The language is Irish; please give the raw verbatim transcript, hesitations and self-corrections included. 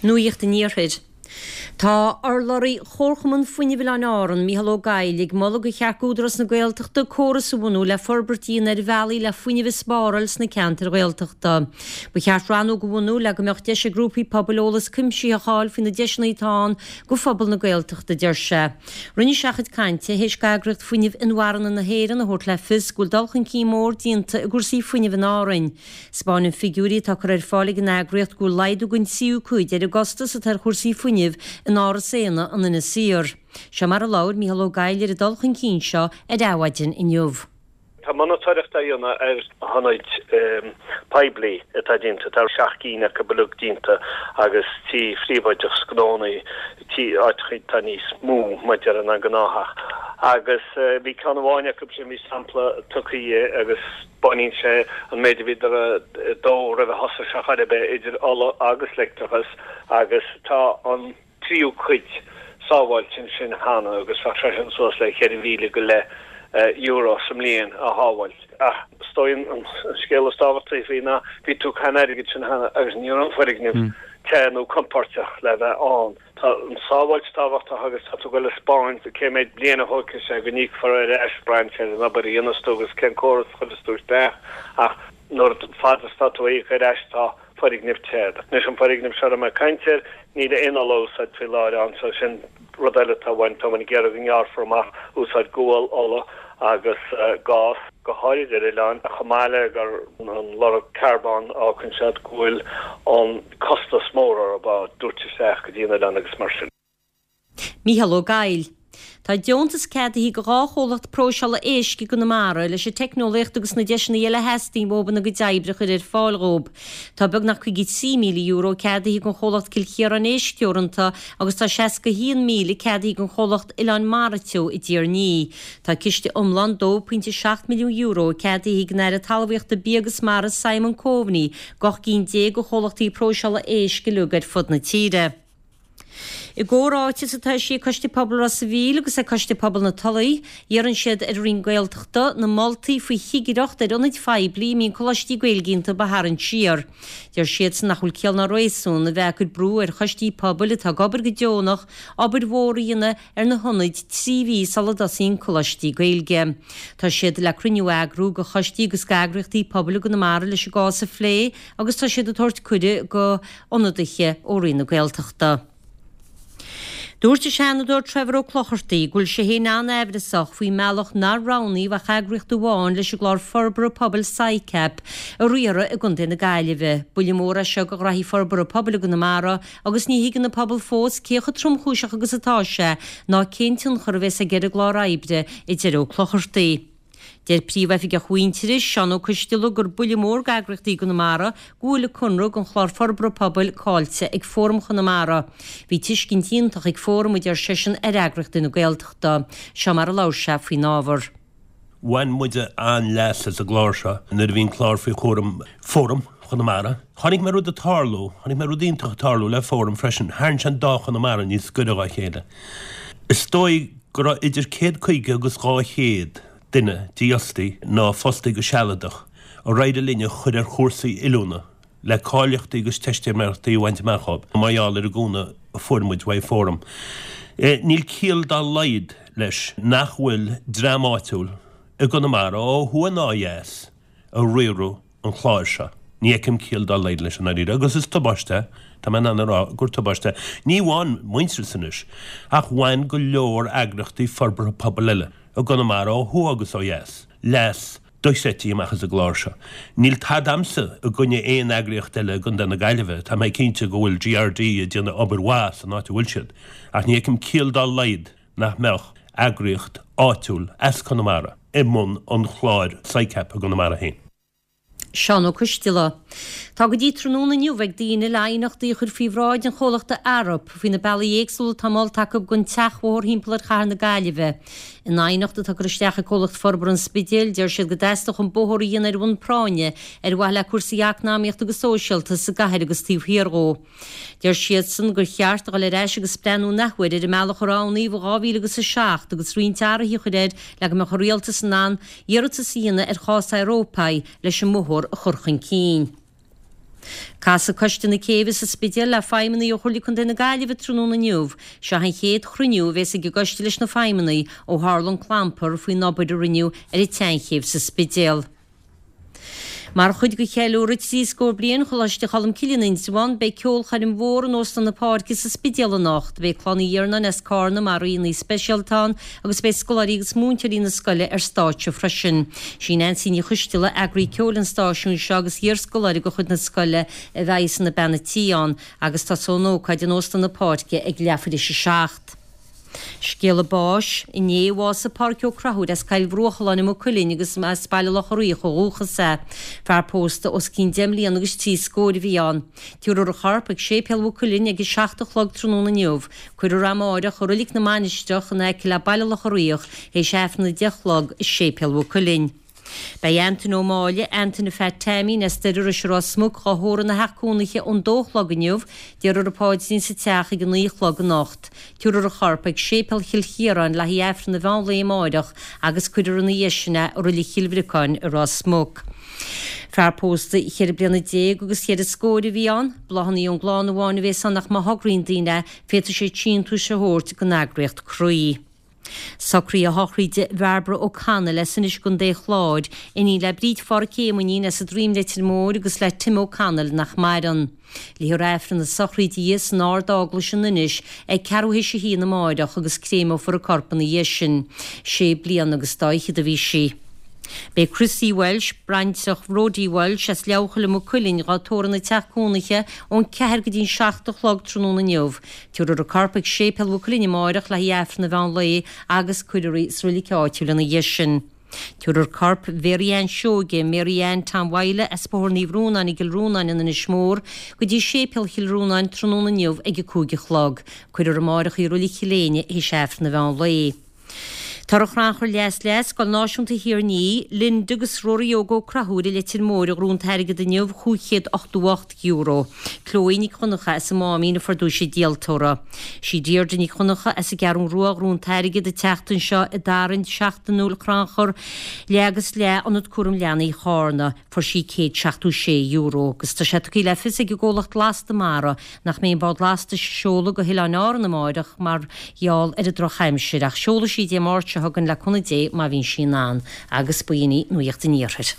Nuacht an Iarthair. Tá urlabhraí Chomharchumann Fuinnimh Oileáin Árann, Mícheál Ó Gabhla, ag moladh gur cheart d'Údarás na Gaeltachta córas a bhunú le forbairt a dhéanamh ar bhealaí le fuinneamh a spáráil sna ceantair Ghaeltachta. Ba cheart rannóg a bhunú le go mbeadh deis ag grúpaí pobail eolas cuimsitheach a fháil faoi na deiseanna atá ann go phobal na Gaeltachta, a deir sé. Rinne sé a chuid cainte théis d'eagraíocht fuinnimh inmharthana na hÉireann a thabhairt le fios go bhfuil dul chun cinn mór déanta i gcúrsaí fuinnimh in Árainn. 'Spáineann figiúirí atá curtha ar fáil ag an eagraíocht go bhfuil laghdú den tríú cuid ar an gcostas atá ar chúrsaí fuinnimh in Áras Éanna in Inis Oírr. Seo mar a labhair Mícheál Ó Gabhla ar an dul chun cinn seo ar Adhmhaidin inniu. Tá monatóireacht á dhéanamh ar ionaid poiblí atá déanta, tá seacht gcinn acu uilig déanta agus tithe phríobháideach 's gnónna, tí áiteacha atá níos mó maidir ná an gnáththeach. Agus bhí ceann amháin acu sin, bhí sampla tugtha agus baineann sé an méid a bhíodar ag dó roimh a thosaigh sé chor ar bith idir ola agus leictreachas agus tá an tríú cuid sábháilte ansin cheana agus bheadh sé sin suas le ceithre mhíle go leith euro sa mbliain a shábháilt. Ach is dóigh an scéal is tábhachtaí faoi ná bhí tú ag caitheamh an airgid sin cheana agus ní raibh an foirgneamh te nó compóirteach le bheith ann. Tá an sábháilt tábhachtach agus tá tú ag dul a 'spáint cé méid bliain a thógfaidh sé go n-íocfar ar ais braitheann sé ar an obair a dhéanas tú agus cén córas a chuireas tú isteach ach nuair fad is tá tú ag íoc ar ais tá foirgneamh te. Anois an foirgneamh seo a raibh mé ag caint air níl aon ola a úsáid faoi láthair ann so sin rud eile atá uainn tá muid ag iarraidh go ngearrfar amach úsáid gual, ola agus gás, go háirid ar oileáin, chomh maith le gur an lorg carbóin a fhágann siad go bhfuil an costas mór orthu á dtabhairt isteach go dtí an oileán agus mar sin. Mícheál Ó Gabhla. Tá deontas ceadaithe do dhá chomhlacht próiseála éisc i gConamara leis an teicneolaíocht agus na deiseanna eile a theastaíonn uathu ina gcuid oibre a chur ar fáil dhóibh. Tá beagnach caoga trí míle euro ceadaithe don chomhlacht Cill Chiaráin Éisc Teoranta agus tá seasca haon míle ceadaithe don chomhlacht Oileán Mara Teo i dTír an Fhia. Tá ciste iomlán dó pointe seacht milliún euro ceadaithe ag an Aire Talmhaíochta Bia agus Mara Simon Coveney d'ocht gcinn déag de chomhlachtaí próiseála éisc uilig ar fud na tíre. I gcomhráiteas atá eisithe ag Coiste Pobail Ros a' Mhíl agus ag Coiste Pobail na Tulaí, iarrann siad ar an Roinn Gaeltachta na moltaí faoi chigireacht ar ionaid phoiblí a mbíonn coláistí Gaeilge iontu a tharraingt siar. Deir siadsan nach bhfuil ciall ná réasún a bheith ag cur brú ar choistí pobail atá ag obair go deonach obair mhór a dhéanamh ar na hionaid trí mhí sula dtosaíonn coláistí Gaeilge. Tá siad le cruinniú a eagrú do choistí agus d'eagraíochtaí pobail i gConamara leis an gcás a phlé agus tá siad ag tabhairt cuireadh go ionadaithe ó Roinn na Gaeltachta. Dúirt an Seanadóir Trevor Ó Clochartaigh go bhfuil sé féin an-aimhreasach faoin mbealach nár roghnaíodh ach eagraíocht amháin leis an gclár forbartha pobail SICAP a riaradh i gContae na Gaillimhe. Buille mór é seo do ghraithí forbartha pobail i gConamara agus ní thuigeann an pobal fós cé chomh tromchúiseach agus atá sé ná cén tionchar a bheas aige ar an gclár oibre, a deir Ó Clochartaigh. Deir Príomhoifigeach Mhuintearais, Seán Ó Coistealbha, gur buille mór d'eagraíochtaí i gConamara go bhfuil an conradh don chlár forbartha pobail caillte ag Fóram Chonamara. Bhí tuiscint iontach ag Fóram, a deir seisean, ar eagraíochtaí na Gaeltachta. Seo mar a labhair sé faoin ábhar. Bhain muide an-leas as an gclár seo nuair a bhí an clár faoi chúram Fóram Chonamara. Chonaic mé rud ag tarlú, chonaic mé rud iontach ag tarlú le Fóram freisin, tharraing sé an dá Chonamara níos gaire dá chéile. Is dóigh go raibh idir céad caoga agus dhá chéad duine dífhostaithe nó fostaithe go sealadach ar éirigh linn a chur ar chúrsaí oiliúna le cáilíochtaí agus teistiméireachtaí a bhaint amach dóibh mar gheall ar an gcúnamh a fuair muid uaidh Fóram. Níl ciall dá laghad leis nach bhfuil dream áitiúil i gConamara ó thuaidh ná ó dheas ag riaradh an chláir seo. Ní fheicim ciall dá laghad leis i ndáiríre agus is tubaiste é, tá mé in ann a rá gur tubaiste é. Ní amháin Muintearas anois ach bhain go leor eagraíochtaí forbartha pobail eile i gConamara ó thuaidh agus ó dheas leas dochreidte amach as an gclár seo. Níl tada a'msa i gcoinne aon eagraíocht eile i gContae na Gaillimhe, tá mé cinnte go bhfuil GRD ag déanamh obair mhaith san áit a bhfuil siad ach ní fheicim ciall dá laghad nach mbeadh eagraíocht áitiúil as Conamara i mbun an chláir SICAP i gConamara féin. Seán Ó Coistealbha. Tá go dtí tráthnóna inniu ag daoine le aighneachtaí a chur faoi bhráid an chomhlachta Arup faoi na bealaí éagsúla atá molta acu don tseachbhóthar thimpeall ar chathair na Gaillimhe. In aighneacht atá curtha isteach ag Comhlacht Forbartha an Spidéil, deir siad go dteastódh an bóthar a dhéanamh ar bhonn práinne ar mhaithe le cúrsaí eacnamaíochta agus sóisialta sa gcathair agus taobh thiar dhó. Deir siadsan gur cheart a dhul ar ais agus breathnú an athuair ar an mbealach a roghnaíodh i dhá mhíle agus a seacht agus roinnt athruithe a chur air le go mbeadh an rialtas in ann iarratas a dhéanamh ar chás Eorpaigh leis an mbóthar a chur chun cinn. Casfaidh Coiste na Céibhe sa Spidéal le feidhmeannaigh ó Chomhairle Contae na Gaillimhe tráthnóna inniu. Seo an chéad chruinniú a bheas ag an gcoiste leis na feidhmeannaigh ó tharla an clampar faoin obair a rinneadh ar an tseanchéibh sa Spidéal. Mar chuid de cheiliúradh trí scór bliain Choláiste Cholmcille in Indreabhán, beidh ceolchoirm mhór in Óstán na Páirce sa Spidéal anocht. Beidh Clann Uí Iarnáin as Cárna mar aíonna speisialta ann agus beidh scoláirí agus múinteoirí na scoile ar stáitse freisin. Sí Neansaí Ní Choisteala, eagraí ceoil an stáisiúin seo agus iarscoláire de chuid na scoile a bheidh ina bean a tí ann agus tosóidh an ócáid in Óstán na Páirce ag leathuair théis a seacht. Scéala báis, Inné a bhásaigh Pádraic Ó Conchúir as Coill Bhruachalláin i Maigh Cuilinn agus as Baile Locha Riach ó dhúchas é. Fear pósta os cionn deich mbliana agus trí scóir a bhí ann. Tabharfar a chorp ag Séipéal Mhaigh Cuilinn ag a seacht a chlog tráthnóna inniu. Cuirfear é amáireach i Roilig na Mainistreach in aice le Baile Locha Riach théis Aifreann a deich a chlog i Séipéal Mhaigh Cuilinn. Beidh Antaine Ó Máille, Antaine Phat Taimín as Doire Rois i Ros Muc dhá thórramh ina theach cónaithe ón dó a chlog inniu, déarfar an paidrín sa teach ag a naoi a chlog anocht. Tabharfar a chorp ag Séipéal Chill Chiaráin le haghaidh Aifreann an mheán lae amáireach agus cuirfear ina dhiaidh sin é i Roilig Chill Bhriocáin i Ros Muc. Fear pósta cheithre bliana déag agus cheithre scóir a bhí ann. Bláthanna ón gclann amháin a bhéas ann ach má thograíonn daoine é, féadfaidh siad síntiús a thabhairt don eagraíocht Croí. Socruithe sochraide Bhairbre O'Connell as Inis i gContae an Chláir, iníon le Bríd Pháraic Éamoinín as an Droim Leitir Móir agus le Tim O'Connell nach maireann. Léifear Aifreann na sochraide di san Ard-Eaglais in Inis ag ceathrú théis a haon amáireach agus créimeofar a corp ina dhiaidh sin. Sé bliana agus dá fhichead a bhí sí. Beidh Chrissie Walsh, baintreach Bhrodie Walsh as Leabharchoill i Maigh Cuilinn, dhá tórramh ina teach cónaithe ón ceathair go dtí an seacht a chlog tráthnóna inniu. Tabharfar a corp ag Séipéal Mhaigh Cuilinn amáireach le haghaidh Aifreann an mheán lae agus cuirfear í sa roilig áitiúil ina dhiaidh sin. Tabharfar corp Mhary Ann Seoige, Mary Ann Tom Mhaidhle as Bóthar Naomh Rónáin i gCill Rónáin in Inis Mór, go dtí Séipéal Chill Rónáin tráthnóna inniu ag a cúig a chlog. Cuirfear amáireach í i Roilig Chill Éinne théis Aifreann an mheán lae. Toradh Chrannchur Leath is Leath, Scoil Náisiúnta Thír an Fhia, Linda agus Rory Óg Ó Conchúir i Leitir Móir a ghnóthaigh an t-airgead inniu, chúig chéad ochtó ocht euro. Chloe Nic Dhonncha as an Máimín a fuair duais an díoltóra. Sí Deirdre Nic Dhonncha as an gCeathrú Rua a ghnóthaigh an t-airgead an tseachtain seo i dtarraingt seachtainiúil Chrannchur Leath agus Leath Ionad Cúram Leanaí Chárna. Fuair sí céad seachtó sé euro. Agus tá sé tugtha le fios ag an gcomhlacht Lasta Mara nach mbeidh an bád lastais ag seoladh go hOileáin Árann amáireach mar gheall ar an drochaimsir, ach seolfaidh sí Dé Máirt seo chugainn le cúnamh Dé má bhíonn sí in ann. Agus b'in í Nuacht an Iarthair.